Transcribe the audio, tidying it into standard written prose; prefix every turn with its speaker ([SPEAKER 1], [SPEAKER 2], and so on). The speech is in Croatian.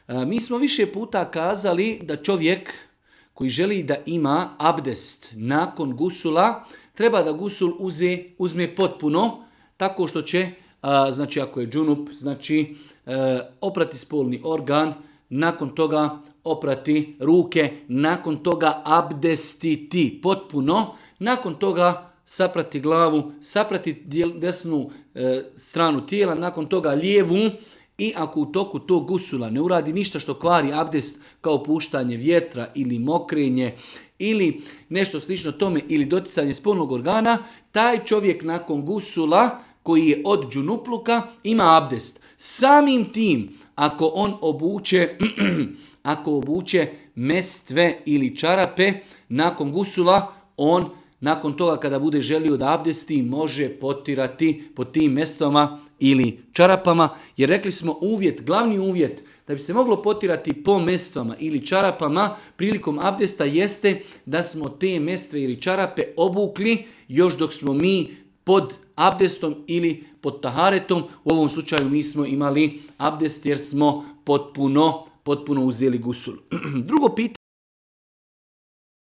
[SPEAKER 1] Mi smo više puta kazali da čovjek koji želi da ima abdest nakon gusula, treba da gusul uzme potpuno, tako što će, znači ako je džunup, znači oprati spolni organ, nakon toga oprati ruke, nakon toga abdestiti potpuno, nakon toga saprati glavu, saprati desnu stranu tijela, nakon toga lijevu, i ako u toku tog gusula ne uradi ništa što kvari abdest, kao puštanje vjetra ili mokrenje ili nešto slično tome ili doticanje spolnog organa, taj čovjek nakon gusula koji je od džunupluka ima abdest. Samim tim, ako on obuče mestve ili čarape nakon gusula, on nakon toga kada bude želio da abdesti može potirati po tim mestvama ili čarapama, jer rekli smo glavni uvjet da bi se moglo potirati po mestvama ili čarapama prilikom abdesta jeste da smo te mestve ili čarape obukli još dok smo mi pod abdestom ili pod taharetom. U ovom slučaju mi smo imali abdest jer smo potpuno uzeli gusul. Drugo pitanje